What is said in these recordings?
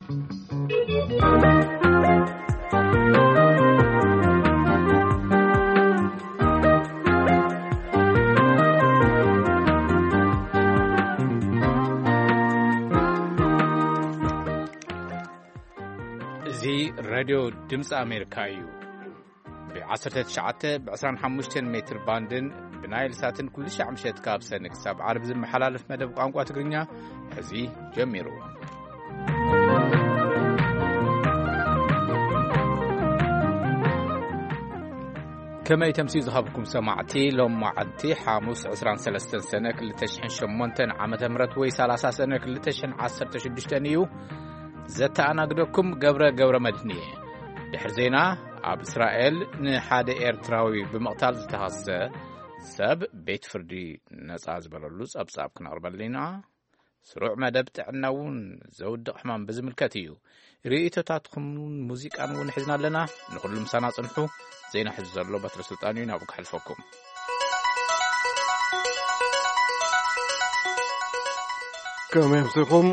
እዚ ሬድዮ ድምፂ ኣሜሪካ እዩ። ብ19፣ ብ25 ሜትር ባንድን ብናይል ሳትን ኩሉ ሻዕ ምሸት ካብ ሰኒ ክሳብ ዓርቢ ዝመሓላለፍ መደብ ቋንቋ ትግርኛ ሕዚ ጀሚሩ። ከመይ ተምስዩ ዝሃብኩም ሰማዕቲ፣ ሎም መዓልቲ ሓሙስ 23 ሰነ 2008 ዓመተ ምህረት ወይ 30 ሰነ 2016 እዩ። ዘተኣናግደኩም ገብረ ገብረ መድህን እየ። ድሕሪ ዜና፣ ኣብ እስራኤል ንሓደ ኤርትራዊ ብምቕታል ዝተኸሰ ሰብ ቤት ፍርዲ ነጻ ዝበለሉ ጸብጻብ ክነቕርበልና ኢና። ስሩዕ መደብ ጥዕና እውን ዘውድቕ ሕማም ብዝምልከት እዩ። ርእይቶታትኩም እውን ሙዚቃን እውን ሒዝና ኣለና። ንኹሉ ምሳና ጽንሑ። ዜና ሕዚ ዘሎ በትሪ ስልጣን እዩ፣ ናብኡ ክሓልፈኩም። ከመይ ኣምሲኹም?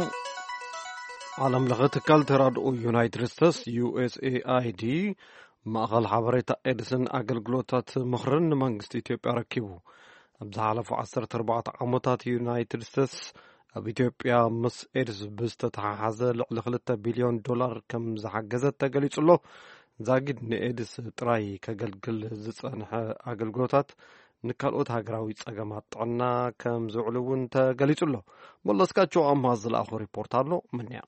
ዓለም ለኸ ትካል ተራድኦ ዩናይትድ ስቴትስ፣ ዩ ኤስ ኤ ኣይ ዲ፣ ማእኸል ሓበሬታ ኤድስን ኣገልግሎታት ምኽርን ንመንግስቲ ኢትዮጵያ ረኪቡ። ኣብ ዝሓለፉ 14 ዓመታት ዩናይትድ ስቴትስ ኣብ ኢትዮጵያ ምስ ኤድስ ብዝተተሓሓዘ ልዕሊ 2 ቢልዮን ዶላር ከም ዝሓገዘት ተገሊጹ ኣሎ። ዛጊድ ንኤድስ ጥራይ ከገልግል ዝጸንሐ ኣገልግሎታት ንካልኦት ሃገራዊ ጸገማት ጥዕና ከም ዝውዕሉ እውን ተገሊጹ ኣሎ። መለስካቸው ኣምሃ ዝለኣኾ ሪፖርት ኣሎ። ምንያ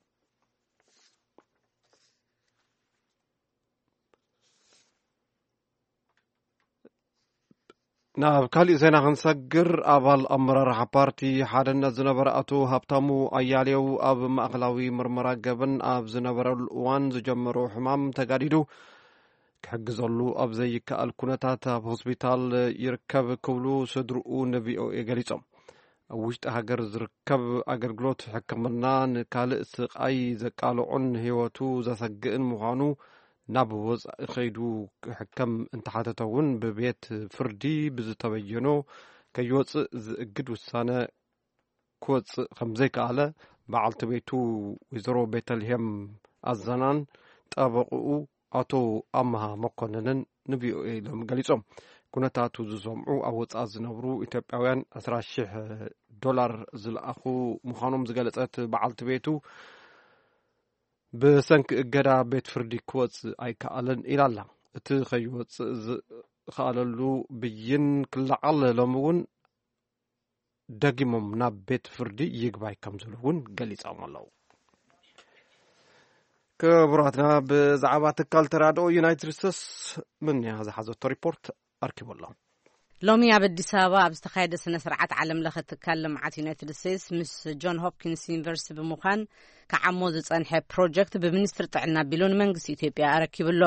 ናብ ካሊእ ዜና ክንሰግር፣ ኣባል ኣመራርሓ ፓርቲ ሓድነት ዝነበረ ኣቶ ሃብታሙ ኣያሌው ኣብ ማእኸላዊ ምርመራ ገበን ኣብ ዝነበረሉ እዋን ዝጀመሮ ሕማም ተጋዲዱ ክሕግዘሉ ኣብ ዘይከኣል ኩነታት ኣብ ሆስፒታል ይርከብ ክብሉ ስድርኡ ንቪኦኤ ገሊጾም። ኣብ ውሽጢ ሃገር ዝርከብ ኣገልግሎት ሕክምና ንካልእ ስቓይ ዘቃልዑን ህይወቱ ዘሰግእን ምዃኑ፣ ናብ ወጻኢ ከይዱ ክሕከም እንተሓተተ እውን ብቤት ፍርዲ ብዝተበየኖ ከይወጽእ ዝእግድ ውሳነ ክወጽእ ከም ዘይከኣለ በዓልቲ ቤቱ ወይዘሮ ቤተልሄም ኣዘናን ጠበቕኡ ኣቶ ኣመሃ መኮንንን ንቪኦኤ ኢሎም ገሊጾም። ኩነታቱ ዝሰምዑ ኣብ ወጻኢ ዝነብሩ ኢትዮጵያውያን 20,000 ዶላር ዝለኣኹ ምዃኖም ዝገለጸት በዓልቲ ቤቱ፣ ብሰንኪ እገዳ ቤት ፍርዲ ክወጽእ ኣይከኣለን ኢላ ኣላ። እቲ ከይወጽእ ዝኸኣለሉ ብይን ክለዓል ሎሚ እውን ደጊሞም ናብ ቤት ፍርዲ ይግባይ ከም ዝብሉ እውን ገሊጾም ኣለዉ። ክቡራትና፣ ብዛዕባ ትካል ተራድኦ ዩናይትድ ስቴትስ ምንያ ዝሓዘቶ ሪፖርት ኣርኪቡ ኣሎ። ሎሚ ኣብ ኣዲስ ኣበባ ኣብ ዝተኻየደ ስነ ስርዓት ዓለም ለኸ ትካል ልምዓት ዩናይትድ ስቴትስ ምስ ጆን ሆፕኪንስ ዩኒቨርሲቲ ብምዃን ክዓሞ ዝጸንሐ ፕሮጀክት ብሚኒስትሪ ጥዕና ኣቢሉ ንመንግስቲ ኢትዮጵያ ኣረኪቡ ኣሎ።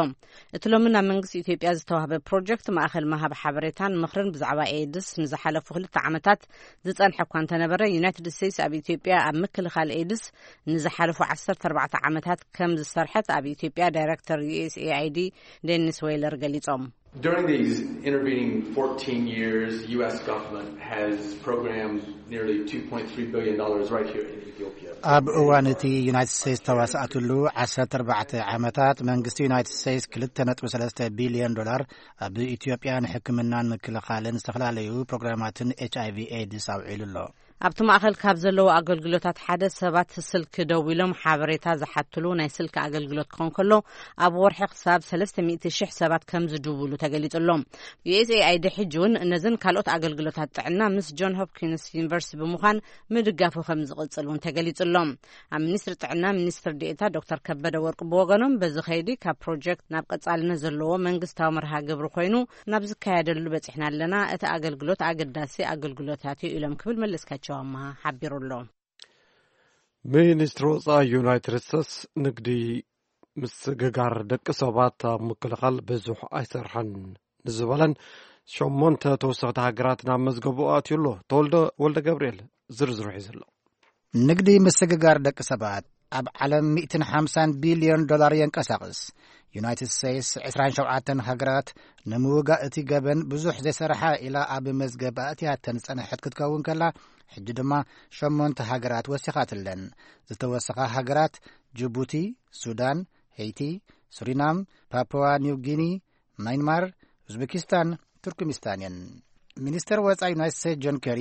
እቲ ሎሚ ናብ መንግስቲ ኢትዮጵያ ዝተዋህበ ፕሮጀክት ማእኸል ምሃብ ሓበሬታን ምኽርን ብዛዕባ ኤድስ ንዝሓለፉ ክልተ ዓመታት ዝጸንሐ እኳ እንተነበረ፣ ዩናይትድ ስቴትስ ኣብ ኢትዮጵያ ኣብ ምክልኻል ኤድስ ንዝሓለፉ 14 ዓመታት ከም ዝሰርሐት ኣብ ኢትዮጵያ ዳይሬክተር ዩ ኤስ ኤ ኣይ ዲ ዴኒስ ዌይለር ገሊጾም። During these intervening fourteen years, the U S government has programmed nearly two point three billion dollars right here in Ethiopia. ኣብ እዋን እቲ ዩናይትድ ስቴትስ ተዋሳእትሉ 14 ዓመታት መንግስቲ ዩናይትድ ስቴትስ 2.3 ቢልዮን ዶላር ኣብ ኢትዮጵያ ንሕክምናን ምክልኻልን ዝተፈላለዩ ፕሮግራማትን ኤች ኣይ ቪ ኤድስ ኣውዒሉ ኣሎ። ኣብቲ ማእኸል ካብ ዘለዉ ኣገልግሎታት ሓደ ሰባት ስልኪ ደዊሎም ሓበሬታ ዝሓትሉ ናይ ስልኪ ኣገልግሎት ክኾን ከሎ፣ ኣብ ወርሒ ክሳብ 300,000 ሰባት ከም ዝድውሉ ተገሊጹ ኣሎ። ዩ ኤስ ኤ ኣይ ዲ ሕጂ እውን ነዝን ካልኦት ኣገልግሎታት ጥዕና ምስ ጆን ሆፕኪንስ ዩኒቨርሲቲ ብምዃን ምድጋፉ ከም ዝቕጽል እውን ተገሊጹ ኣሎ። ኣብ ሚኒስትሪ ጥዕና ሚኒስትር ዴኤታ ዶክተር ከበደ ወርቁ ብወገኖም፣ በዚ ከይዲ ካብ ፕሮጀክት ናብ ቀጻልነት ዘለዎ መንግስታዊ መርሃ ግብሪ ኮይኑ ናብ ዝካየደሉ በጺሕና ኣለና። እቲ ኣገልግሎት ኣገዳሲ ኣገልግሎታት እዩ ኢሎም ክብል መለስካቸው ኣመሃ ሓቢሩ ኣሎ። ሚኒስትሪ ወጻኢ ዩናይትድ ስቴትስ ንግዲ ምስግጋር ደቂ ሰባት ኣብ ምክልኻል ብዙሕ ኣይሰርሐን ንዝበለን ሸሞንተ ተወሰኽቲ ሃገራት ናብ መዝገቡ ኣትዩ ኣሎ። ተወልደ ወልደ ገብርኤል ዝርዝሩ ሒዙ ኣሎ። ንግዲ ምስግጋር ደቂ ሰባት ኣብ ዓለም 150 ቢልዮን ዶላር የንቀሳቕስ። ዩናይትድ ስቴትስ 27 ሃገራት ንምውጋእ እቲ ገበን ብዙሕ ዘይሰርሓ ኢላ ኣብ መዝገብ ኣእትያተን ዝጸንሐት ክትከውን ከላ፣ ሕጂ ድማ ሸሞንተ ሃገራት ወሲኻትለን። ዝተወሰኻ ሃገራት ጅቡቲ፣ ሱዳን፣ ሄይቲ፣ ሱሪናም፣ ፓፑዋ ኒው ጊኒ፣ ማይንማር፣ ኡዝቤኪስታን፣ ቱርክሚስታን እየን። ሚኒስተር ወጻኢ ዩናይትድ ስቴትስ ጆን ኬሪ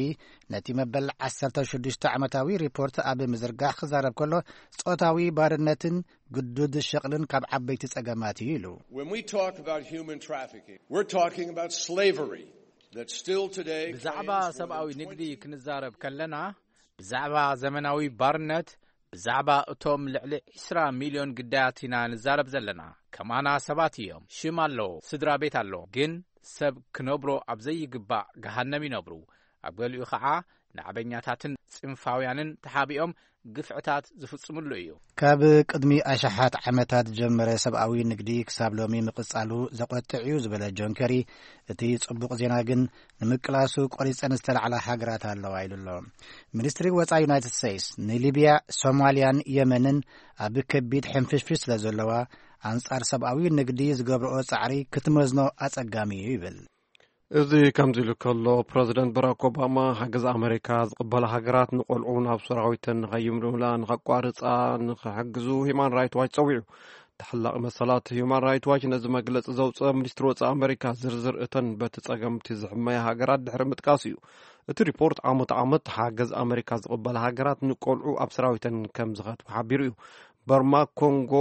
ነቲ መበል ዓሰርተ ሽዱሽተ ዓመታዊ ሪፖርት ኣብ ምዝርጋሕ ክዛረብ ከሎ፣ ጾታዊ ባርነትን ግዱድ ሸቕልን ካብ ዓበይቲ ጸገማት እዩ ኢሉ። When we talk about human trafficking, we're talking about slavery that still today ብዛዕባ claims more ሰብኣዊ than ንግዲ twenty ክንዛረብ ከለና፣ ብዛዕባ ዘመናዊ ባርነት፣ ብዛዕባ እቶም ልዕሊ ዕስራ ሚልዮን ግዳያት ኢና ንዛረብ ዘለና። ከማና ሰባት እዮም፣ ሽም ኣለዎ፣ ስድራ ቤት ኣለዎ። ግን ሰብ ክነብሮ ኣብ ዘይግባእ ገሃነም ይነብሩ። ኣብ ገሊኡ ኸዓ ናዕበኛታትን ጽንፋውያንን ተሓቢኦም ግፍዕታት ዝፍጽምሉ እዩ። ካብ ቅድሚ ኣሽሓት ዓመታት ዝጀመረ ሰብኣዊ ንግዲ ክሳብ ሎሚ ምቕጻሉ ዘቖጥዕ እዩ ዝበለ ጆን ኬሪ፣ እቲ ጽቡቕ ዜና ግን ንምቅላሱ ቆሪጸን ዝተላዕላ ሃገራት ኣለዋ ኢሉ ኣሎ። ሚኒስትሪ ወጻኢ ዩናይትድ ስቴትስ ንሊብያ፣ ሶማልያን የመንን ኣብ ከቢድ ሕንፍሽፍሽ ስለ ዘለዋ፣ ኣንጻር ሰብኣዊ ንግዲ ዝገብርኦ ጻዕሪ ክትመዝኖ ኣጸጋሚ እዩ ይብል። እዚ ከምዚ ኢሉ ከሎ፣ ፕረዚደንት ባራክ ኦባማ ሓገዝ ኣመሪካ ዝቕበላ ሃገራት ንቆልዑ ናብ ሰራዊተን ንኸይምልምላ ንኸቋርጻ ንኽሕግዙ ሂማን ራይት ዋች ጸዊዑ። ተሓላቒ መሰላት ሂማን ራይት ዋች ነዚ መግለጺ ዘውፅአ ሚኒስትሪ ወፃኢ ኣመሪካ ዝርዝር እተን በቲ ጸገምቲ ዝሕመያ ሃገራት ድሕሪ ምጥቃስ እዩ። እቲ ሪፖርት ዓመት ዓመት ሓገዝ ኣመሪካ ዝቕበላ ሃገራት ንቆልዑ ኣብ ሰራዊተን ከም ዝኸትቡ ሓቢሩ እዩ። በርማ፣ ኮንጎ፣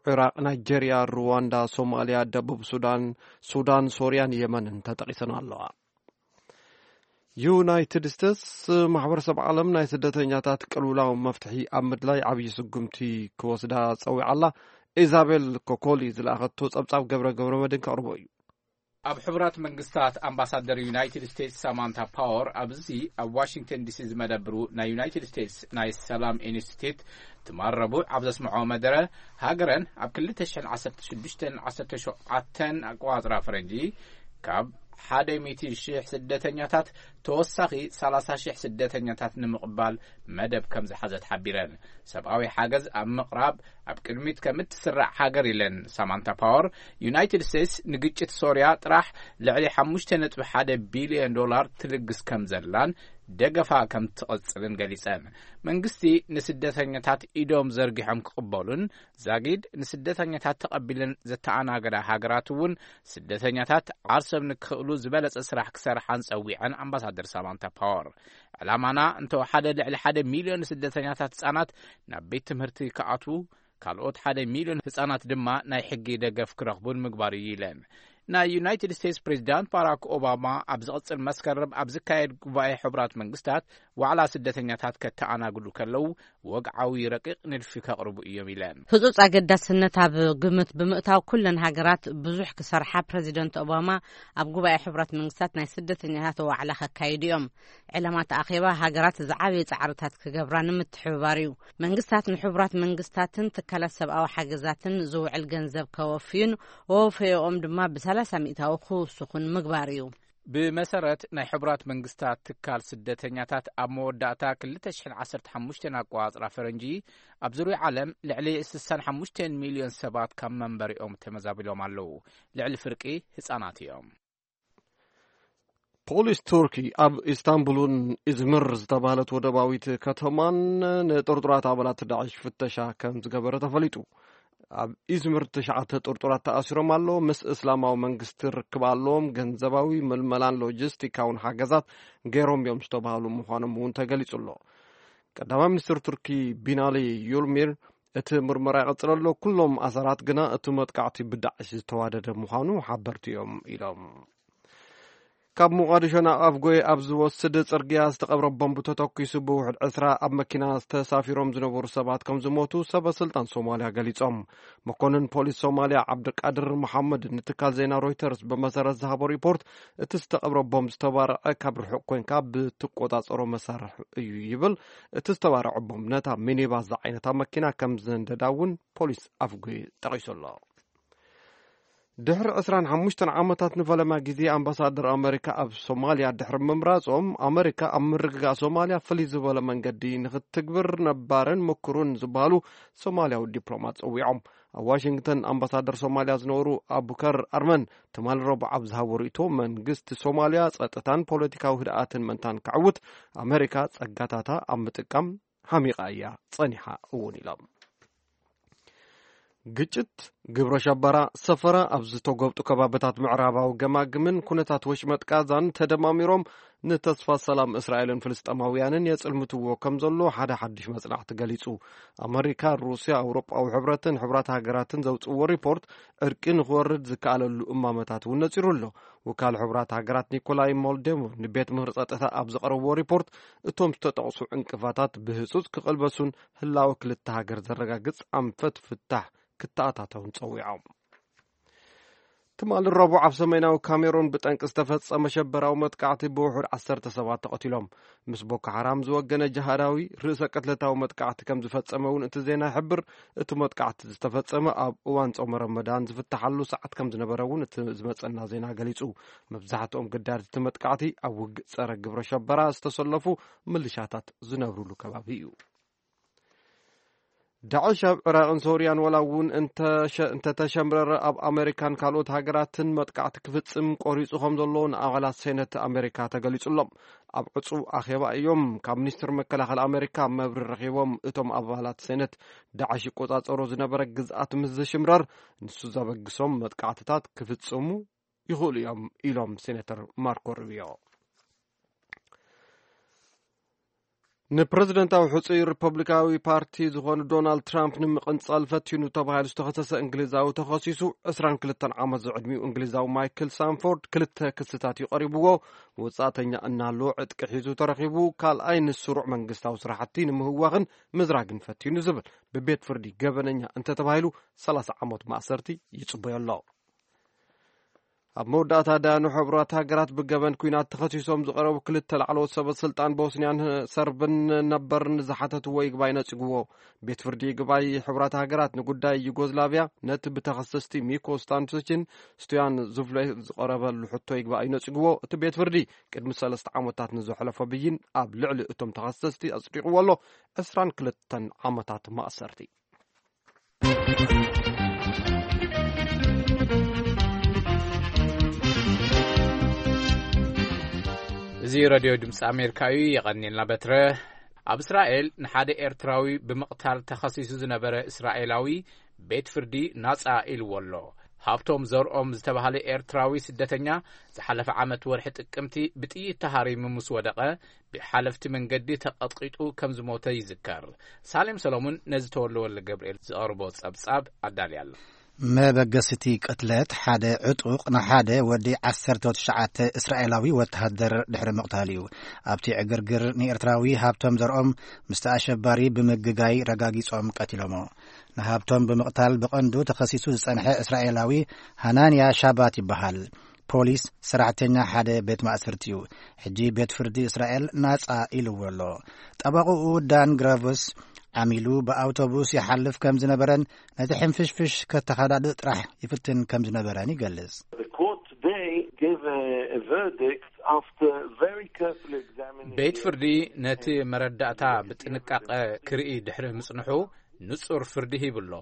ዒራቕ፣ ናይጀርያ፣ ሩዋንዳ፣ ሶማልያ፣ ደቡብ ሱዳን፣ ሱዳን፣ ሶርያን የመንን ተጠቒሰን ኣለዋ። ዩናይትድ ስቴትስ ማሕበረሰብ ዓለም ናይ ስደተኛታት ቅልውላው መፍትሒ ኣብ ምድላይ ዓብዪ ስጉምቲ ክወስዳ ጸዊዓ ኣላ። ኢዛቤል ኮኮሊ ዝለኣኸቶ ጸብጻብ ገብረ ገብረ መድን ከቕርቦ እዩ። ኣብ ሕቡራት መንግስታት ኣምባሳደር ዩናይትድ ስቴትስ ሳማንታ ፓወር ኣብዚ ኣብ ዋሽንግተን ዲሲ ዝመደብሩ ናይ ዩናይትድ ስቴትስ ናይ ሰላም ኢንስቲትዩት ትማል ረቡዕ ኣብ ዘስምዖ መደረ፣ ሃገረን ኣብ ክልተ ሽሕን ዓሰርተ ሽዱሽተን ዓሰርተ ሸውዓተን ኣቆጻጽራ ፈረንጂ ካብ ሓደ ሚእቲ ሽሕ ስደተኛታት ተወሳኺ ሰላሳ ሽሕ ስደተኛታት ንምቕባል መደብ ከም ዝሓዘት ሓቢረን። ሰብኣዊ ሓገዝ ኣብ ምቕራብ ኣብ ቅድሚት ከም እትስራዕ ሃገር ኢለን ሳማንታ ፓወር፣ ዩናይትድ ስቴትስ ንግጭት ሶርያ ጥራሕ ልዕሊ ሓሙሽተ ነጥቢ ሓደ ቢልዮን ዶላር ትልግስ ከም ዘላን ደገፋ ከም ትቕጽልን ገሊጸን። መንግስቲ ንስደተኛታት ኢዶም ዘርጊሖም ክቕበሉን ዛጊድ ንስደተኛታት ተቐቢለን ዘተኣናገዳ ሃገራት እውን ስደተኛታት ዓርሶም ንክኽእሉ ዝበለጸ ስራሕ ክሰርሓን ጸዊዐን ኣምባሳደር ሳማንታ ፓወር። ዕላማና እንተወሓደ ልዕሊ ሓደ ሚልዮን ስደተኛታት ህጻናት ናብ ቤት ትምህርቲ ክኣትዉ፣ ካልኦት ሓደ ሚልዮን ህጻናት ድማ ናይ ሕጊ ደገፍ ክረኽቡን ምግባር እዩ ኢለን። ናይ ዩናይትድ ስቴትስ ፕሬዚዳንት ባራክ ኦባማ ኣብ ዝቕጽል መስከረም ኣብ ዝካየድ ጉባኤ ሕቡራት መንግስታት ዋዕላ ስደተኛታት ከተኣናግዱ ከለዉ ወግዓዊ ረቂቕ ንድፊ ከቕርቡ እዮም ኢለን። ህጹጽ ኣገዳስነት ኣብ ግምት ብምእታው ኩለን ሃገራት ብዙሕ ክሰርሓ ፕረዚደንት ኦባማ ኣብ ጉባኤ ሕቡራት መንግስታት ናይ ስደተኛታት ዋዕላ ከካይዱ እዮም። ዕላማት ኣኼባ ሃገራት ዝዓበየ ጻዕርታት ክገብራ ንምትሕብባር እዩ። መንግስታት ንሕቡራት መንግስታትን ትካላት ሰብኣዊ ሓገዛትን ዝውዕል ገንዘብ ከወፍዩን ወፈዮኦም ድማ ብሰላሳ ሚእታዊ ክውስኹን ምግባር እዩ። ብመሰረት ናይ ሕቡራት መንግስታት ትካል ስደተኛታት ኣብ መወዳእታ ክልተ ሽሕን ዓሰርተ ሓሙሽተን ኣቆጻጽራ ፈረንጂ ኣብ ዙርያ ዓለም ልዕሊ ስሳን ሓሙሽተን ሚልዮን ሰባት ካብ መንበሪኦም ተመዛቢሎም ኣለዉ። ልዕሊ ፍርቂ ህጻናት እዮም። ፖሊስ ቱርኪ ኣብ ኢስታንቡልን ኢዝምር ዝተባህለት ወደባዊት ከተማን ንጥርጡራት ኣባላት ዳዕሽ ፍተሻ ከም ዝገበረ ተፈሊጡ። ኣብ ኢዝምር ትሽዓተ ጥርጡራት ተኣሲሮም ኣለዉ። ምስ እስላማዊ መንግስቲ ርክብ ኣለዎም። ገንዘባዊ ምልመላን ሎጂስቲካውን ሓገዛት ገይሮም እዮም ዝተባህሉ ምዃኖም እውን ተገሊጹ ኣሎ። ቀዳማይ ሚኒስትር ቱርኪ ቢናሊ ዩልሚር እቲ ምርመራ ይቐጽል ኣሎ። ኩሎም ኣሰራት ግና እቲ መጥቃዕቲ ብዳዕሽ ዝተዋደደ ምዃኑ ሓበርቲ እዮም ኢሎም። ካብ ሞቓዲሾ ናብ ኣፍጎይ ኣብ ዝወስድ ጽርግያ ዝተቐብረ ቦምብ ተተኲሱ ብውሕድ ዕስራ ኣብ መኪና ዝተሳፊሮም ዝነበሩ ሰባት ከም ዝሞቱ ሰበ ስልጣን ሶማልያ ገሊጾም። መኮንን ፖሊስ ሶማልያ ዓብድልቃድር መሓመድ ንትካል ዜና ሮይተርስ ብመሰረት ዝሃቦ ሪፖርት፣ እቲ ዝተቐብረ ቦምብ ዝተባርዐ ካብ ርሑቕ ኮንካ ብትቆጻጸሮ መሳርሒ እዩ ይብል። እቲ ዝተባርዐ ቦምብ ነታ ሚኒባስ ዝዓይነታ መኪና ከም ዘንደዳ እውን ፖሊስ ኣፍጎይ ጠቒሱ ኣሎ። ድሕሪ ዕስራን ሓሙሽተን ዓመታት ንፈለማ ግዜ ኣምባሳደር ኣመሪካ ኣብ ሶማልያ ድሕሪ ምምራጾም፣ ኣመሪካ ኣብ ምርግጋእ ሶማልያ ፍልይ ዝበለ መንገዲ ንኽትግብር ነባርን ምኩሩን ዝበሃሉ ሶማልያዊ ዲፕሎማት ጸዊዖም። ኣብ ዋሽንግተን ኣምባሳደር ሶማልያ ዝነበሩ ኣቡከር ኣርመን ትማሊ ረቡዕ ኣብ ዝሃቦ ርእይቶ፣ መንግስቲ ሶማልያ ጸጥታን ፖለቲካዊ ህድኣትን መንታን ከዕውት ኣመሪካ ጸጋታታ ኣብ ምጥቃም ሓሚቓ እያ ጸኒሓ እውን ኢሎም። ግጭት፣ ግብረ ሸበራ፣ ሰፈራ ኣብ ዝተጎብጡ ከባብታት ምዕራባዊ ገማግምን ኩነታት ወሽመጥ ጋዛን ተደማሚሮም ንተስፋ ሰላም እስራኤልን ፍልስጤማውያንን የጽልምትዎ ከም ዘሎ ሓደ ሓድሽ መጽናዕቲ ገሊጹ። ኣመሪካ፣ ሩስያ፣ ኣውሮጳዊ ሕብረትን ሕብራት ሃገራትን ዘውጽእዎ ሪፖርት ዕርቂ ንኽወርድ ዝከኣለሉ እማመታት እውን ነጺሩ ኣሎ። ወካል ሕብራት ሃገራት ኒኮላይ ሞልዴሞ ንቤት ምኽሪ ጸጥታ ኣብ ዘቕረብዎ ሪፖርት፣ እቶም ዝተጠቕሱ ዕንቅፋታት ብህጹጽ ክቕልበሱን ህላወ ክልተ ሃገር ዘረጋግጽ ኣንፈት ፍታሕ ክተኣታተውን ጸዊዖም። ትማሊ ረቡዕ ኣብ ሰሜናዊ ካሜሩን ብጠንቂ ዝተፈጸመ ሸበራዊ መጥቃዕቲ ብውሑድ ዓሰርተ ሰባት ተቐቲሎም። ምስ ቦኮ ሓራም ዝወገነ ጅሃዳዊ ርእሰ ቅትለታዊ መጥቃዕቲ ከም ዝፈጸመ እውን እቲ ዜና ይሕብር። እቲ መጥቃዕቲ ዝተፈጸመ ኣብ እዋን ጾመ ረመዳን ዝፍትሓሉ ሰዓት ከም ዝነበረ እውን እቲ ዝመጸና ዜና ገሊጹ። መብዛሕትኦም ገዳዲ እቲ መጥቃዕቲ ኣብ ውግእ ጸረ ግብረ ሸበራ ዝተሰለፉ ምልሻታት ዝነብሩሉ ከባቢ እዩ። ዳዕሽ ኣብ ዕራቕን ሶርያን ዋላ እውን እንተሸ-፣ እንተተሸምረረ፣ ኣብ ኣመሪካን ካልኦት ሃገራትን መጥቃዕቲ ክፍጽም ቆሪጹ ከም ዘሎ ንኣባላት ሴነት ኣመሪካ ተገሊጹሎም። ኣብ ዕጹው ኣኼባ እዮም ካብ ሚኒስትር መከላኸሊ ኣመሪካ መብርሂ ረኺቦም። እቶም ኣባላት ሴነት፣ ዳዕሽ ይቆጻጸሮ ዝነበረ ግዝኣት ምስ ዝሽምረር፣ ንሱ ዘበግሶም መጥቃዕትታት ክፍጽሙ ይኽእሉ እዮም ኢሎም ሴኔተር ማርኮ ሩቢዮ። ንፕረዚደንታዊ ሕጹይ ሪፐብሊካዊ ፓርቲ ዝኾኑ ዶናልድ ትራምፕ ንምቕንጻል ፈቲኑ ተባሂሉ ዝተኸሰሰ እንግሊዛዊ ተኸሲሱ ዕስራን ክልተን ዓመት ዝዕድሚኡ እንግሊዛዊ ማይክል ሳንፎርድ ክልተ ክስታት እዩ ቀሪብዎ። ወጻእተኛ እናሃለወ ዕጥቂ ሒዙ ተረኺቡ፣ ካልኣይ ንስሩዕ መንግስታዊ ስራሕቲ ንምህዋኽን ምዝራግን ፈቲኑ ዝብል ብቤት ፍርዲ ገበነኛ እንተተባሂሉ ሰላሳ ዓመት ማእሰርቲ ይጽበዮ ኣሎ። ኣብ መወዳእታ፣ ዳያኑ ሕቡራት ሃገራት ብገበን ኲናት ተኸሲሶም ዝቐረቡ ክልተ ላዕለዎት ሰበ ስልጣን ቦስንያን ሰርብን ነበርን ዝሓተትዎ ይግባይ ነጺግዎ። ቤት ፍርዲ ይግባይ ሕቡራት ሃገራት ንጉዳይ ዩጎዝላቭያ፣ ነቲ ብተኸሰስቲ ሚኮ ስታንቶችን ስቱያን ዙፍሌ ዝቐረበሉ ሕቶ ይግባይ ነጺግዎ። እቲ ቤት ፍርዲ ቅድሚ ሰለስተ ዓመታት ንዘሕለፎ ብይን ኣብ ልዕሊ እቶም ተኸሰስቲ ኣጽዲቕዎ ኣሎ። ዕስራን ክልተን ዓመታት ማእሰርቲ። እዚ ረድዮ ድምፂ ኣሜሪካ እዩ። የቐንየልና በትረ። ኣብ እስራኤል ንሓደ ኤርትራዊ ብምቕታል ተኸሲሱ ዝነበረ እስራኤላዊ ቤት ፍርዲ ናጻ ኢልዎ ኣሎ። ሃብቶም ዘርኦም ዝተባህለ ኤርትራዊ ስደተኛ ዝሓለፈ ዓመት ወርሒ ጥቅምቲ ብጥይት ተሃሪሙ ምስ ወደቐ ብሓለፍቲ መንገዲ ተቐጥቂጡ ከም ዝሞተ ይዝከር። ሳሌም ሰሎሙን ነዚ ተወልደ ወልደ ገብርኤል ዘቕርቦ ጸብጻብ ኣዳልያ ኣሎ። መበገሲቲ ቅትለት ሓደ ዕጡቕ ንሓደ ወዲ ዓሰርተ ትሽዓተ እስራኤላዊ ወተሃደር ድሕሪ ምቕታል እዩ። ኣብቲ ዕግርግር ንኤርትራዊ ሃብቶም ዘርኦም ምስቲ ኣሸባሪ ብምግጋይ ረጋጊጾም ቀቲሎሞ። ንሃብቶም ብምቕታል ብቐንዱ ተኸሲሱ ዝጸንሐ እስራኤላዊ ሃናንያ ሻባት ይበሃል። ፖሊስ ሰራሕተኛ ሓደ ቤት ማእሰርቲ እዩ። ሕጂ ቤት ፍርዲ እስራኤል ናጻ ኢልዎ ኣሎ። ጠበቕኡ ዳን ግራቭስ ዓሚሉ ብኣውቶቡስ ይሓልፍ ከም ዝነበረን ነቲ ሕንፍሽፍሽ ከተኸዳድእ ጥራሕ ይፍትን ከም ዝነበረን ይገልጽ። The court today gave a, a verdict after very careful examination. ቤት ፍርዲ ነቲ መረዳእታ ብጥንቃቐ ክርኢ ድሕሪ ምጽንሑ ንጹር ፍርዲ ሂቡ ኣሎ።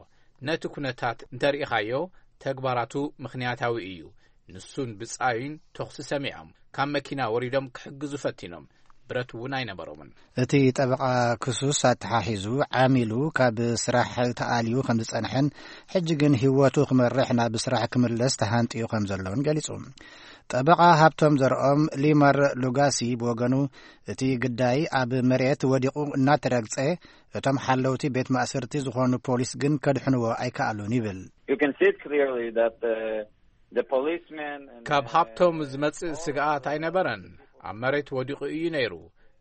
ነቲ ኩነታት እንተርኢኻዮ ተግባራቱ ምኽንያታዊ እዩ። ንሱን ብጻዩን ተኹሲ ሰሚዖም ካብ መኪና ወሪዶም ክሕግዙ ፈቲኖም። ብረት እውን ኣይነበሮምን። እቲ ጠበቓ ክሱስ ኣተሓሒዙ ዓሚሉ ካብ ስራሕ ተኣልዩ ከም ዝጸንሐን ሕጂ ግን ህይወቱ ክመርሕ ናብ ስራሕ ክምለስ ተሃንጥዩ ከም ዘሎን ገሊጹ። ጠበቓ ሃብቶም ዘርኦም ሊመር ሉጋሲ ብወገኑ እቲ ግዳይ ኣብ መሬት ወዲቑ እናተረግጸ እቶም ሓለውቲ ቤት ማእሰርቲ ዝኾኑ ፖሊስ ግን ከድሕንዎ ኣይከኣሉን ይብል። You can see it clearly that the, the policemen and ካብ the ሃብቶም ዝመጽእ ስግኣት ኣይነበረን። ኣብ መሬት ወዲቑ እዩ ነይሩ።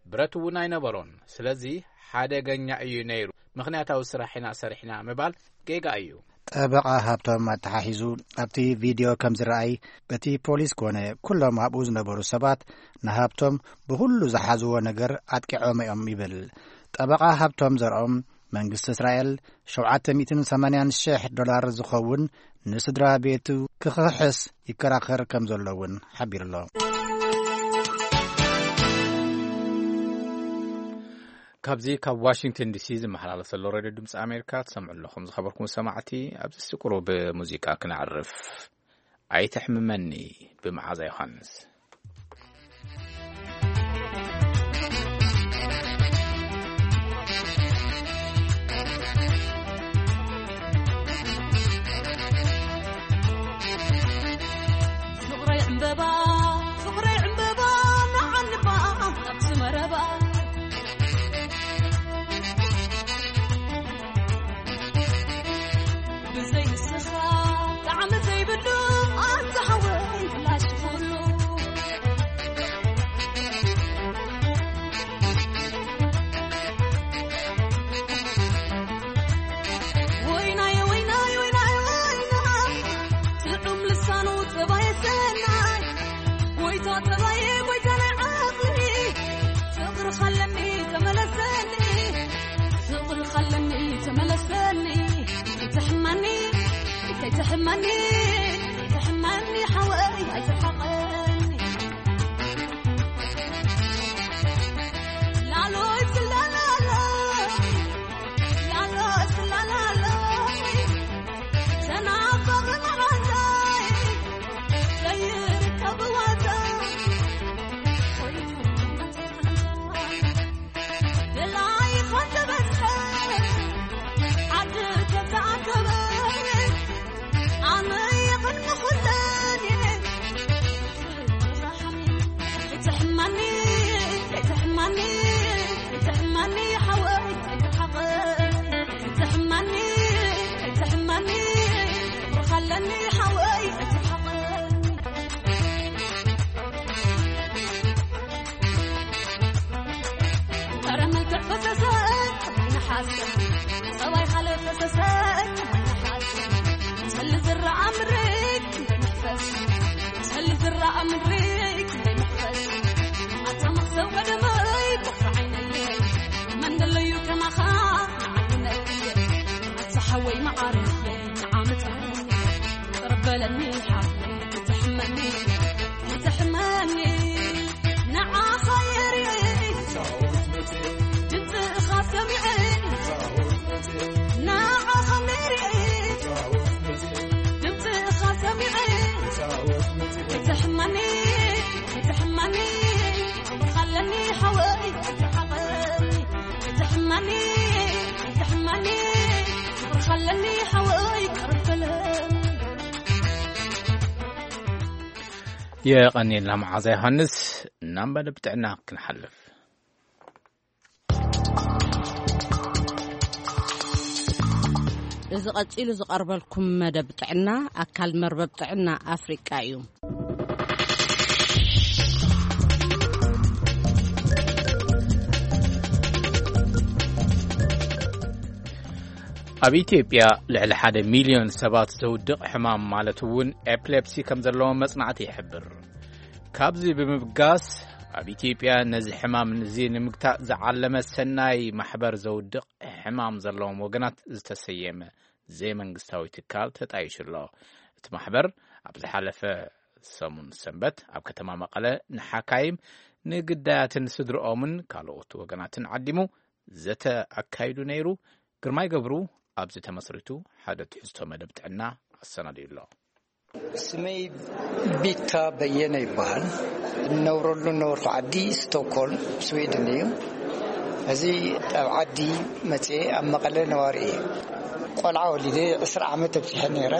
ብረት እውን ኣይነበሮን። ስለዚ ሓደገኛ እዩ ነይሩ። ምኽንያታዊ ስራሕ ኢና ሰሪሕና ምባል ጌጋ እዩ። ጠበቓ ሃብቶም ኣተሓሒዙ ኣብቲ ቪድዮ ከም ዝረኣይ እቲ ፖሊስ ኮነ ኩሎም ኣብኡ ዝነበሩ ሰባት ንሃብቶም ብኹሉ ዝሓዝዎ ነገር ኣጥቂዖም እዮም ይብል። ጠበቓ ሃብቶም ዘርኦም መንግስቲ እስራኤል ሸውዓተ ሚእትን ሰማንያን ሽሕ ዶላር ዝኸውን ንስድራ ቤቱ ክኽሕስ ይከራኸር ከም ዘሎ እውን ሓቢሩ ኣሎ። ካብዚ ካብ ዋሽንግተን ዲሲ ዝመሓላለፍ ዘሎ ሬድዮ ድምፂ ኣሜሪካ ትሰምዑ ኣለኹም። ዝኸበርኩም ሰማዕቲ፣ ኣብዚ ቁሩብ ሙዚቃ ክነዕርፍ። ኣይትሕምመኒ፣ ብመዓዛ ዮሃንስ። ፍቕረይ ዕምበባ፣ ፍቕረይ ዕምበባ፣ ንዓኒ እባ ኣብቲ መረባ። ብዘይ ንስኻ ጣዕሚ ዘይብሉ፣ ኣንታ ሓወይ ብላሽ ኩሉ። ወይናየ፣ ወይናየ፣ ወይናየ፣ ወይናየ፣ ጥዑም ልሳኑ ጸባየ ሰናይ። ጎይታ ጸባየ፣ ጎይታ ናይ ዓቕሊ። ፍቕርኻ ኣለኒ ተመለሰኒ፣ ፍቕርኻ ኣለኒ ተመለሰኒ። ከይትሕመኒ፣ ከይትሕመኒ፣ ከይትሕመኒ ሓወይ ኣይትርሓቐኒ። ላሎይ ትላላሎይ፣ ላሎይ ትላላሎይ፣ ተናፋቒ መዓዛይ ዘይርከብ ዋዛ። ደላይ ኸተበዝሐ ዓዲ ተተኣከበ፣ ኣነ የቐድሚ ኩለን እየ። ኣይትሕመኒ፣ ኣይትሕመኒ፣ ኣይትሕመኒ ሓወይ፣ ኣይትርሓቐኒ። ኣይትሕመኒ፣ ኣይትሕመኒ፣ ፍቕርኻ ኣለኒ ሓወይ፣ ኣይትርሓቐኒ። ጸረ መልክዕ ፈሰሰ፣ ከማይ ነሓሰ። ጸባይ ካልእ ፈሰሰ፣ ከማይ ነሓሰ። ሰሊ ዝረኣ ምድሪ፣ ክንደይ መሕፈስ። ሰሊ ዝረኣ ምድሪ፣ ክንደይ መሕፈስ። ኣታ መኽሰብ ቀደመይ፣ ፍቕሪ ዓይነለይ። መን ደለዩ ከማኻ፣ ንዓይ ነክየ። ኣታ ሓወይ መዓረየ፣ ንዓመት ቅርብ በለኒ ሓፍተይ፣ ኣይትሕመኒ፣ ኣይትሕመኒ። ንዓኻ የርኢ፣ ድምፅኻ ሰሚዐ፣ ንዓኻ መሪዐ፣ ድምፅኻ ሰሚዐ። ኣይትሕመኒ፣ ኣይትሕመኒ፣ ክብርኻ ኣለኒ ሓወይ፣ ኣይትርሓቐኒ። ኣይትሕመኒ፣ ኣይትሕመኒ፣ ክብርኻ ኣለኒ ሓወይ፣ ቅርብ በለኒ። የቐንየልና መዓዛ ዮሃንስ። ናብ መደብ ጥዕና ክንሓልፍ። እዚ ቀጺሉ ዝቐርበልኩም መደብ ጥዕና ኣካል መርበብ ጥዕና ኣፍሪቃ እዩ። ኣብ ኢትዮጵያ ልዕሊ ሓደ ሚልዮን ሰባት ዘውድቕ ሕማም ማለት እውን ኤፕሌፕሲ ከም ዘለዎ መጽናዕቲ ይሕብር። ካብዚ ብምብጋስ ኣብ ኢትዮጵያ ነዚ ሕማም እዚ ንምግታእ ዝዓለመ ሰናይ ማሕበር ዘውድቕ ሕማም ዘለዎም ወገናት ዝተሰየመ ዘይመንግስታዊ ትካል ተጣይሹ ኣሎ። እቲ ማሕበር ኣብ ዝሓለፈ ሰሙን ሰንበት ኣብ ከተማ መቐለ ንሓካይም፣ ንግዳያትን ስድርኦምን ካልኦት ወገናትን ዓዲሙ ዘተ ኣካይዱ ነይሩ። ግርማይ ገብሩ ኣብዚ ተመስሪቱ ሓደ ትሕዝቶ መደብ ጥዕና ኣሰናዲኡ ኣሎ። ስመይ ቢታ በየነ ይበሃል። እነብረሉ ነበርኩ ዓዲ ስቶክሆልም፣ ስዊድን እዩ። እዚ ኣብ ዓዲ መፅኤ ኣብ መቐለ ነዋሪ እየ። ቆልዓ ወሊደ ዕስራ ዓመት ኣብፂሐ ነይረ።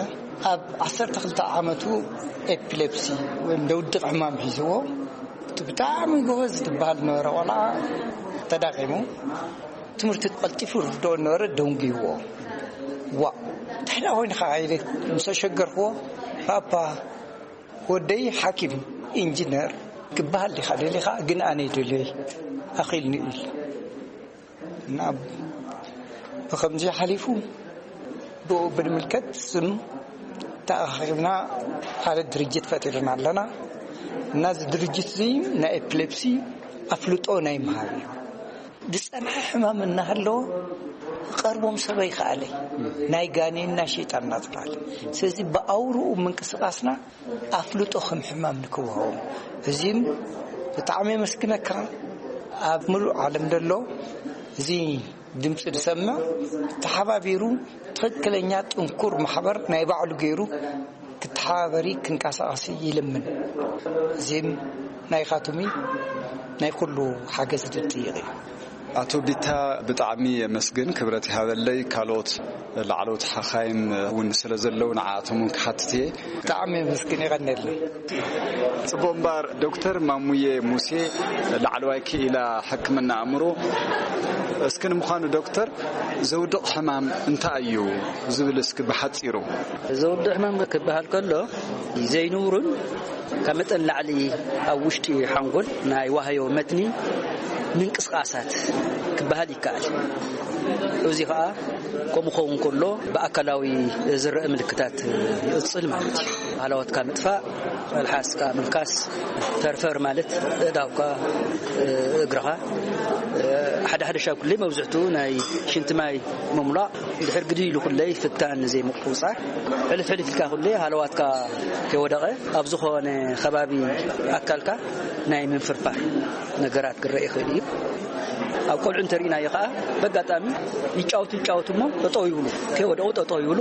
ኣብ ዓሰርተ ክልተ ዓመቱ ኤፒሌፕሲ ወይም ደውድቕ ሕማም ሒዝዎ። እቲ ብጣዕሚ ጎበዝ ዝበሃል ነበረ ቆልዓ ተዳኺሙ። ትምህርቲ ቀልጢፉ ርድኦ ነበረ፣ ደንጉይዎ። ዋ፣ እንታይ ደኣ ኮይንካ ኢለ ምስ ኣሸገርክዎ፣ "ፓፓ፣ ወደይ ሓኪም፣ ኢንጂነር ክበሃል ዲኻ ደሊኻ?" "ግን ኣነ ይደልዮ፣ ኣኺልኒ" ኢሉ። እና ብኸምዚ ሓሊፉ፣ ብኡ ብምልከት ስም ተኣኻኺብና ሓደ ድርጅት ፈጢርና ኣለና። እና እዚ ድርጅት እዚ ናይ ኤፒሌፕሲ ኣፍልጦ ናይ ምሃብ እዩ። ዝጸንሐ ሕማም እናሃለወ ክቐርቦም ሰብ ኣይከኣለይ። ናይ ጋኔን ናይ ሸይጣን እናተባህለ። ስለዚ ብኣውርኡ ምንቅስቓስና ኣፍልጦ ከም ሕማም ንክወሃቦም። እዚም ብጣዕሚ የመስግነካ። ኣብ ምሉእ ዓለም ዘሎ እዚ ድምፂ ዝሰምዕ ተሓባቢሩ ትኽክለኛ ጥንኩር ማሕበር ናይ ባዕሉ ገይሩ ክተሓባበሪ ክንቀሳቐሲ ይልምን። እዚም ናይኻትሚ ናይ ኩሉ ሓገዝ ዝጥይቕ እዩ። ኣቶ ቢታ፣ ብጣዕሚ የመስግን። ክብረት ይሃበለይ። ካልኦት ላዕለዎት ሓኻይም እውን ስለ ዘለዉ ንዓኣቶም እውን ክሓትት እየ። ብጣዕሚ የመስግን። የቐንየለይ። ጽቡቕ እምበኣር፣ ዶክተር ማሙዬ ሙሴ፣ ላዕለዋይ ክኢላ ሕክምና ኣእምሮ፣ እስኪ ንምዃኑ ዶክተር፣ ዘውድቕ ሕማም እንታይ እዩ ዝብል እስኪ ብሓጺሩ። ዘውድቕ ሕማም ክበሃል ከሎ፣ ዘይንውሩን ካብ መጠን ላዕሊ ኣብ ውሽጢ ሓንጎል ናይ ዋህዮ መትኒ ምንቅስቓሳት ክበሃል ይከኣል። እዚ ኸኣ ከምኡ ክኸውን ከሎ ብኣካላዊ ዝረአ ምልክታት ይቕጽል ማለት እዩ። ሃላዋትካ ምጥፋእ፣ መልሓስካ ምልካስ፣ ፈርፈር ማለት ኣእዳውካ፣ እግርኻ፣ ሓደ ሓደ ሻብ ኩለይ መብዝሕቱ ናይ ሽንቲ ማይ ምምላእ፣ ድሕር ግዲ ኢሉ ኩለይ ፍታን ዘይምቁጽጻር፣ ሕልፍ ሕልፍ ኢልካ ኩለይ ሃለዋትካ ከይወደቐ ኣብ ዝኾነ ከባቢ ኣካልካ ናይ ምንፍርፋር ነገራት ክረአ ይኽእል እዩ። ኣብ ቆልዑ እንተሪእናዮ ከዓ በጋጣሚ ይጫወቱ ይጫወቱ እሞ ጠጠው ይብሉ፣ ከይወደቑ ጠጠው ይብሉ።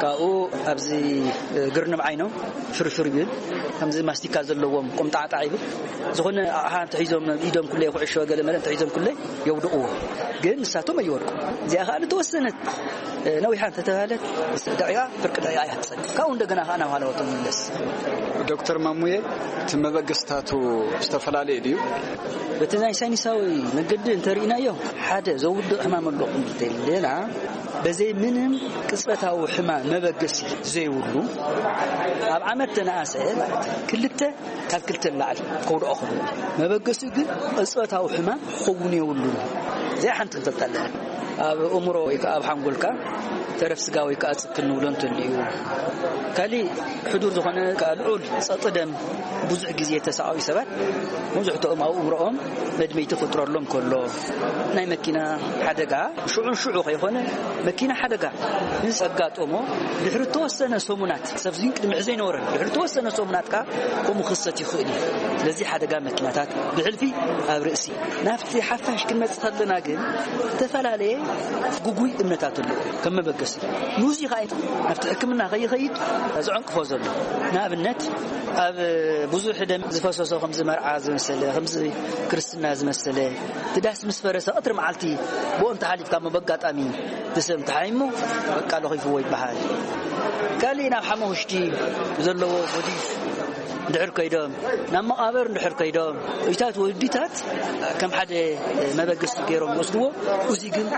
ካብኡ ኣብዚ ግርንም ዓይኖም ፍርፍር ይብል፣ ከምዚ ማስቲካ ዘለዎም ቆምጣዕጣዕ ይብል። ዝኾነ ኣቕሓ እንተሒዞም ኢዶም ኩለይ ኩዕሾ ገለ መለ እንተሒዞም ኩለይ የውድቕዎ፣ ግን ንሳቶም ኣይወድቁ። እዚኣ ከዓ ንተወሰነት ነዊሓ እንተተባህለት ምስ ደቂቓ ፍርቂ ደቂቓ እያ ትጸንሕ። ካብኡ እንደገና ከዓ ናብ ሃለዋቶም ይምለስ። ዶክተር ማሙዬ፣ እቲ መበገስታቱ ዝተፈላለየ ድዩ? በቲ ናይ ሳይንሳዊ መገዲ እንተርኢናዮ ሓደ ዘውድቕ ሕማም ኣሎ ክንብል እንተኢልና፣ በዘይ ምንም ቅጽበታዊ ሕማም መበገሲ ዘይብሉ ኣብ ዓመት ተነኣሰ ማለት እዩ። ክልተ ካብ ክልተ ንላዕሊ ከውድኦ ክኽእል። መበገሲኡ ግን ቅጽበታዊ ሕማም ክኸውን የብሉን። እዚኣ ሓንቲ ክንፈልጣ ኣለና። ኣብ እምሮ ወይ ከዓ ኣብ ሓንጎልካ ተረፍ ስጋ ወይ ከዓ ጽክል ንብሎ እንተልዩ፣ ካሊእ ሕዱር ዝኾነ ከዓ ልዑል ጸቕጢ ደም ብዙሕ ግዜ ተሳቐዩ ሰባት መብዝሕትኦም ኣብ እምሮኦም መድመይቲ ክጥረሎም ከሎ፣ ናይ መኪና ሓደጋ ሽዑን ሽዑ ከይኮነ፣ መኪና ሓደጋ ምስ ኣጋጠሞ ድሕሪ ተወሰነ ሰሙናት፣ ሰብ ዝን ቅድሚ ሕዚ ዘይነበረን ድሕሪ ተወሰነ ሰሙናት ከዓ ከምኡ ክሰት ይኽእል እዩ። ስለዚ ሓደጋ መኪናታት ብሕልፊ ኣብ ርእሲ። ናብቲ ሓፋሽ ክንመጽእ ከለና ግን ዝተፈላለየ ግጉይ እምነታት ኣለዎ ከም መበገሲ። ንዚ ከዓ ናብቲ ሕክምና ከይኸይድ ዘዕንቅፎ ዘሎ። ንኣብነት ኣብ ብዙሕ ደም ዝፈሰሶ ከምዚ መርዓ ዝመሰለ፣ ከምዚ ክርስትና ዝመሰለ፣ እቲ ዳስ ምስ ፈረሰ ቀትሪ መዓልቲ ብኦም ተሓሊፍካ እሞ በጋጣሚ እቲ ሰብ ተሓይሞ በቃ ለኺፍዎ ይበሃል። ካልእ ናብ ሓመኹሽቲ ዘለዎ ጎዲፍ እንድሕር ከይዶም፣ ናብ መቓብር እንድሕር ከይዶም፣ እታት ወዲታት ከም ሓደ መበገሲ ገይሮም ይወስድዎ። እዚ ግን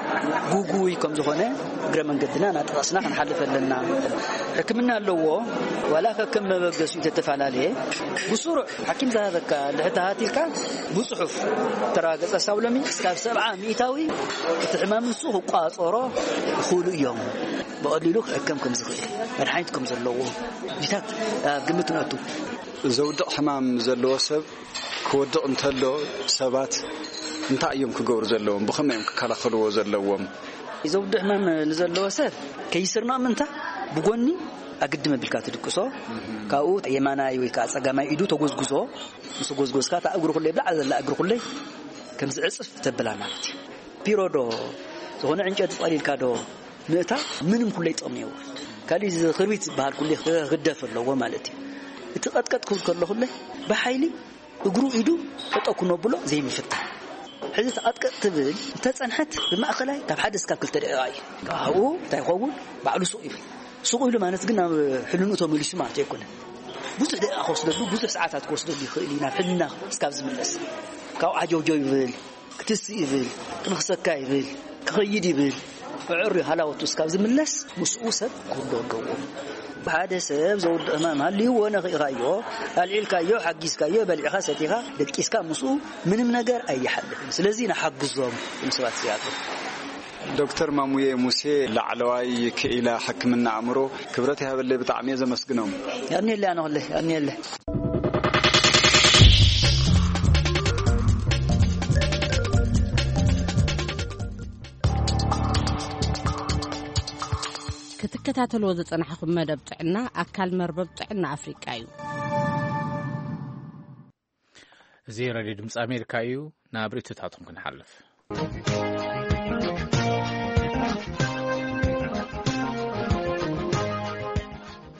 ጉጉይ ከም ዝኾነ እግረ መንገድና እናጠቐስና ክንሓልፍ ኣለና። ሕክምና ኣለዎ። ዋላ ከከም መበገሲኡ ተተፈላለየ፣ ብስሩዕ ሓኪም ዝሃበካ ድሕር ተሃቲልካ ብጽሑፍ ተረጋገጸ ሳብ ሎሚ እስካብ ሰብዓ ሚእታዊ እቲ ሕማም ንሱ ክቋጸሮ ይኽእሉ እዮም። ብቐሊሉ ክሕከም ከም ዝኽእል፣ መድሓኒት ከም ዘለዎ እዚታት ኣብ ግምት ነእቱ። ዘውድቕ ሕማም ዘለዎ ሰብ ክወድቕ እንተሎ ሰባት እንታይ እዮም ክገብሩ ዘለዎም? ብኸመይ እዮም ክከላኸልዎ ዘለዎም? ዘውድቕ ሕማም ንዘለዎ ሰብ ከይስርና ምንታ ብጎኒ ኣግድም ኣቢልካ ትድቅሶ። ካብኡ የማናይ ወይ ከዓ ጸጋማይ ኢዱ ተጎዝጉዞ። ምስ ጎዝጎዝካ እታ እግሩ ኩለይ ብላዕሊ ዘላ እግሩ ኩለይ ከም ዝዕጽፍ ተብላ ማለት እዩ። ፒሮዶ ዝኾነ ዕንጨቲ ጸሊልካ ዶ ምእታ ምንም ኩለይ ጥቕሚ የብሉን። ካልእ እዚ ክርቢት ዝበሃል ኩለይ ክግደፍ ኣለዎ ማለት እዩ። እቲ ቀጥቀጥ ክብል ከሎ ኩለይ ብሓይሊ እግሩ ኢዱ ጠጠው ክነብሎ ዘይምፍታን። ሕዚ ተቐጥቀጥ ትብል እንተጸንሐት ብማእኸላይ ካብ ሓደ እስካብ ክልተ ደቂቓ እዩ። ካብኡ እንታይ ይኸውን? ባዕሉ ሱቕ ይብል። ሱቕ ኢሉ ማለት ግን ናብ ሕልንኡ ተመሊሱ ማለት ኣይኮነን። ብዙሕ ደቂቓ ክወስደሉ፣ ብዙሕ ሰዓታት ክወስደሉ ይኽእል እዩ ናብ ሕልና እስካብ ዝምለስ። ካብኡ ዓጀውጀው ይብል፣ ክትስእ ይብል፣ ክንኽሰካ ይብል፣ ክኸይድ ይብል። ኣዕርዩ ሃላወቱ እስካብ ዝምለስ ምስኡ ሰብ ክህሉ ኣለዎ። ሓደ ሰብ ዘውድቕ ሕማም ሃልይዎ ነኺእኻዮ፣ ኣልዒልካዮ፣ ሓጊዝካዮ፣ በሊዕኻ ሰቲኻ፣ ደቂስካ ምስኡ ምንም ነገር ኣይሓልፍን። ስለዚ ንሓግዞም እቶም ሰባት እዚኣቶም። ዶክተር ማሙዬ ሙሴ፣ ላዕለዋይ ክኢላ ሕክምና ኣእምሮ፣ ክብረት ይሃበለይ፣ ብጣዕሚ እየ ዘመስግኖም። ያኔለ ኣነ ኸለ፣ ያኔለ። ትከታተልዎ ዝጸናሕኹም መደብ ጥዕና ኣካል መርበብ ጥዕና ኣፍሪቃ እዩ። እዚ ሬድዮ ድምፂ ኣሜሪካ እዩ። ናብ ርእይቶታትኩም ክንሓልፍ።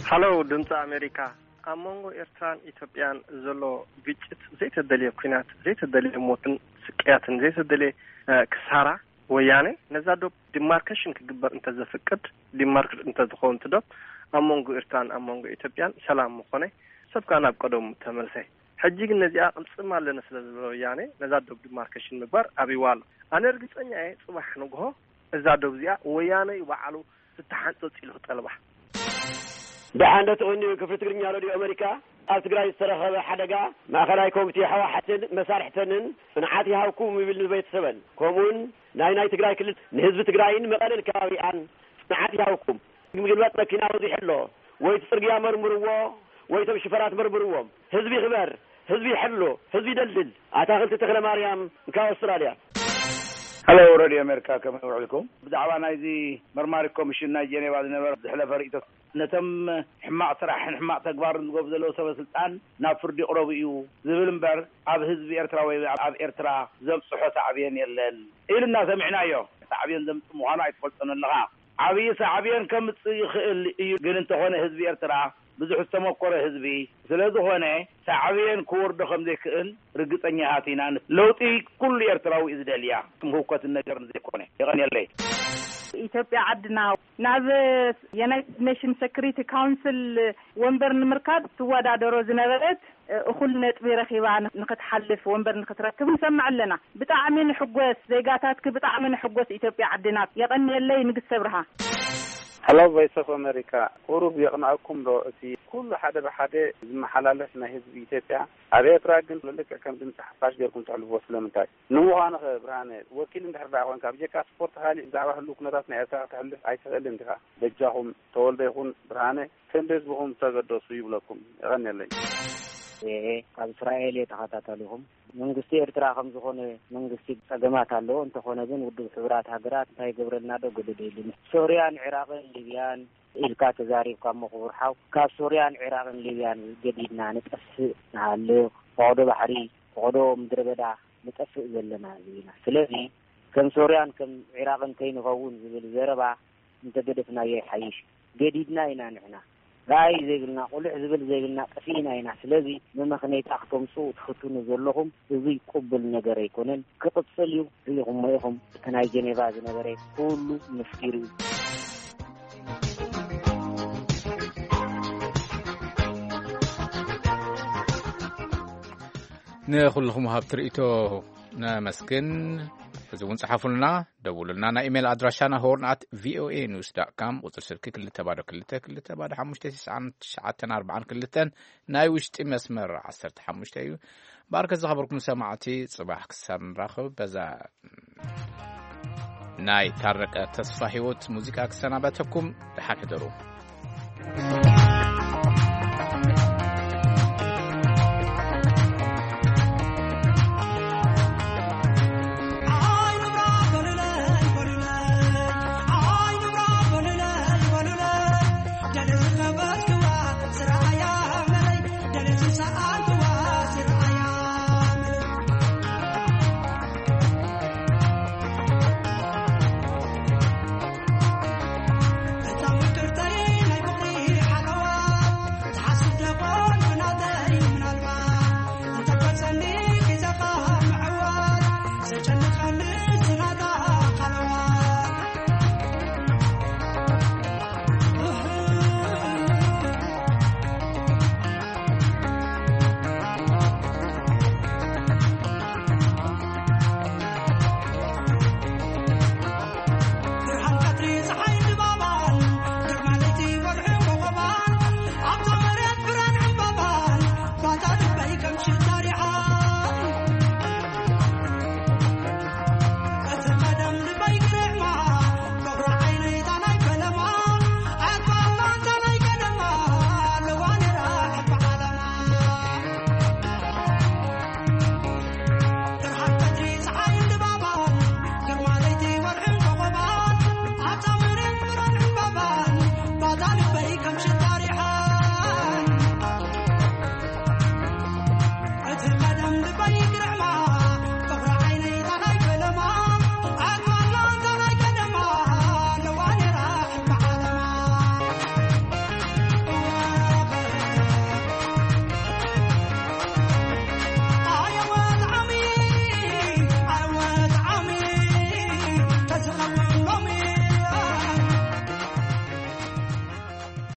ሃሎ ድምፂ ኣሜሪካ፣ ኣብ መንጎ ኤርትራን ኢትዮጵያን ዘሎ ግጭት ዘይተደልየ ኲናት፣ ዘይተደልየ ሞትን ስቅያትን፣ ዘይተደልየ ክሳራ፣ ወያነ ነዛ ዶብ ዲማርኬሽን ክግበር እንተዘፍቅድ፣ ዲማርክ እንተዝኸውን እቲ ዶብ ኣብ መንጎ ኤርትራን ኣብ መንጎ ኢትዮጵያን ሰላም ምኾነ፣ ሰብ ከኣ ናብ ቀደሙ ተመልሰ። ሕጂ ግን ነዚኣ ቅልጽም ኣለና ስለ ዝበለ ወያነ ነዛ ዶብ ዲማርኬሽን ምግባር ኣብይዋ ኣሎ። ኣነ ርግጸኛ እየ ጽባሕ ንግሆ እዛ ዶብ እዚኣ ወያነ እዩ ባዕሉ ዝተሓንጸጽ ኢሉ ክጠልባ። ደሓን ዶ ትቕንዩ? ክፍሊ ትግርኛ ሬድዮ ኣሜሪካ ኣብ ትግራይ ዝተረኸበ ሓደጋ ማእኸላይ ኮሚቴ ህወሓትን መሳርሕተንን ጽንዓት ይሃብኩም ይብል ንቤተሰበን ከምኡውን ናይ ናይ ትግራይ ክልል ንህዝቢ ትግራይን መቐለን ከባቢኣን ጽንዓት ይሃብኩም። ምግልባጥ መኪና በዚሑ ኣሎ። ወይ እቲ ጽርግያ መርምርዎ ወይ እቶም ሽፈራት መርምርዎም። ህዝቢ ይኽበር፣ ህዝቢ ይሕሎ፣ ህዝቢ ይደልድል። ኣታኽልቲ ተኽለ ማርያም ካብ ኣውስትራልያ። ሄሎ ሬድዮ ኣሜሪካ ከመይ ውዒልኩም? ብዛዕባ ናይዚ መርማሪ ኮሚሽን ናይ ጀኔቫ ዝነበረ ዝሕለፈ ርእይቶ ነቶም ሕማቕ ስራሕን ሕማቕ ተግባርን ዝገብሩ ዘለዉ ሰበ ስልጣን ናብ ፍርዲ ይቕረቡ እዩ ዝብል እምበር ኣብ ህዝቢ ኤርትራ ወይ ኣብ ኤርትራ ዘብጽሖ ሳዕቤን የለን ኢሉና ሰሚዕናዮ። ሳዕቤን ዘምጽእ ምዃኑ ኣይትፈልጦን ኣለኻ። ዓብዪ ሳዕቤን ከምጽእ ይኽእል እዩ፣ ግን እንተኾነ ህዝቢ ኤርትራ ብዙሕ ዝተመኮረ ህዝቢ ስለ ዝኾነ ሳዕቤን ክወርዶ ከም ዘይክእል ርግጸኛታት ኢና። ለውጢ ኩሉ ኤርትራዊ እዩ ዝደልያ፣ ከም ህውከትን ነገርን ዘይኮነ። የቐንየለይ። ኢትዮጵያ ዓድና ናብ ዩናይትድ ኔሽን ሴኩሪቲ ካውንስል ወንበር ንምርካብ ትወዳደሮ ዝነበረት እኹል ነጥቢ ረኺባ ንክትሓልፍ ወንበር ንክትረክብ ንሰምዕ ኣለና። ብጣዕሚ ንሕጎስ ዜጋታትኪ፣ ብጣዕሚ ንሕጎስ ኢትዮጵያ ዓድና። የቐንየለይ ንግስተ ብርሃ። Hello Voice of America፣ ቁሩብ የቕንኣኩም ዶ እቲ ኩሉ ሓደ ብሓደ ዝመሓላለፍ ናይ ህዝቢ ኢትዮጵያ? ኣብ ኤርትራ ግን ልክዕ ከም ድምፂ ሓፋሽ ጌርኩም ተሕልፍዎ ስለምንታይ? ንምዃኑ ኸ ብርሃነ፣ ወኪል እንድሕር ደኣ ኾንካ፣ ብጀካ ስፖርት ኻሊእ ብዛዕባ ህሉው ኩነታት ናይ ኤርትራ ከተሕልፍ ኣይትኽእልን ዲኻ? በጃኹም ተወልደ ይኹን ብርሃነ፣ ከም ህዝብኹም ተገደሱ ይብለኩም። የቐንየለይ። ካብ እስራኤል እየ ተኸታታሊኹም። መንግስቲ ኤርትራ ከም ዝኾነ መንግስቲ ጸገማት ኣለዎ። እንተኾነ ግን ውድብ ሕቡራት ሃገራት እንታይ ይገብረልና ዶ ገደደ ኢሉኒ። ሶርያን ዒራቕን ሊብያን ኢልካ ተዛሪብካ እሞ ክቡር ሓው፣ ካብ ሶርያን ዒራቕን ሊብያን ገዲድና ንጠፍእ ንሃልኽ፣ ፈቐዶ ባሕሪ፣ ፈቐዶ ምድረ በዳ ንጠፍእ ዘለና ህዝቢ ኢና። ስለዚ ከም ሶርያን ከም ዒራቕን ከይንኸውን ዝብል ዘረባ እንተገደፍናዮ ይሓይሽ። ገዲድና ኢና ንሕና። ራእይ ዘይብልና፣ ቁልሕ ዝብል ዘይብልና ጠፊእና ኢና። ስለዚ መመኽነይታ ክተምጽኡ ትፍትኑ ዘለኹም፣ እዚ ቅቡል ነገር ኣይኮነን። ክቕጽል እዩ። ርኢኹሞ ኢኹም፣ እቲ ናይ ጀኔቫ ዝነበረ ኩሉ መስኪሩ እዩ። ንኹልኹም ሃብቲ ርእይቶ ነመስግን። ሕዚ እውን ጸሓፉልና፣ ደውሉልና። ናይ ኢሜይል ኣድራሻና ሆርን ኣት ቪኦኤ ኒውስ ዳት ካም፣ ቁጽሪ ስልኪ ክልተ ባዶ ክልተ ክልተ ባዶ ሓሙሽተ ትሽዓን ትሽዓተን ኣርባዓን ክልተን፣ ናይ ውሽጢ መስመር ዓሰርተ ሓሙሽተ እዩ። ባርከ ዝኸበርኩም ሰማዕቲ፣ ጽባሕ ክሳብ ንራኸብ በዛ ናይ ታረቀ ተስፋ ህይወት ሙዚቃ ክሰናበተኩም፣ ደሓን ሕደሩ።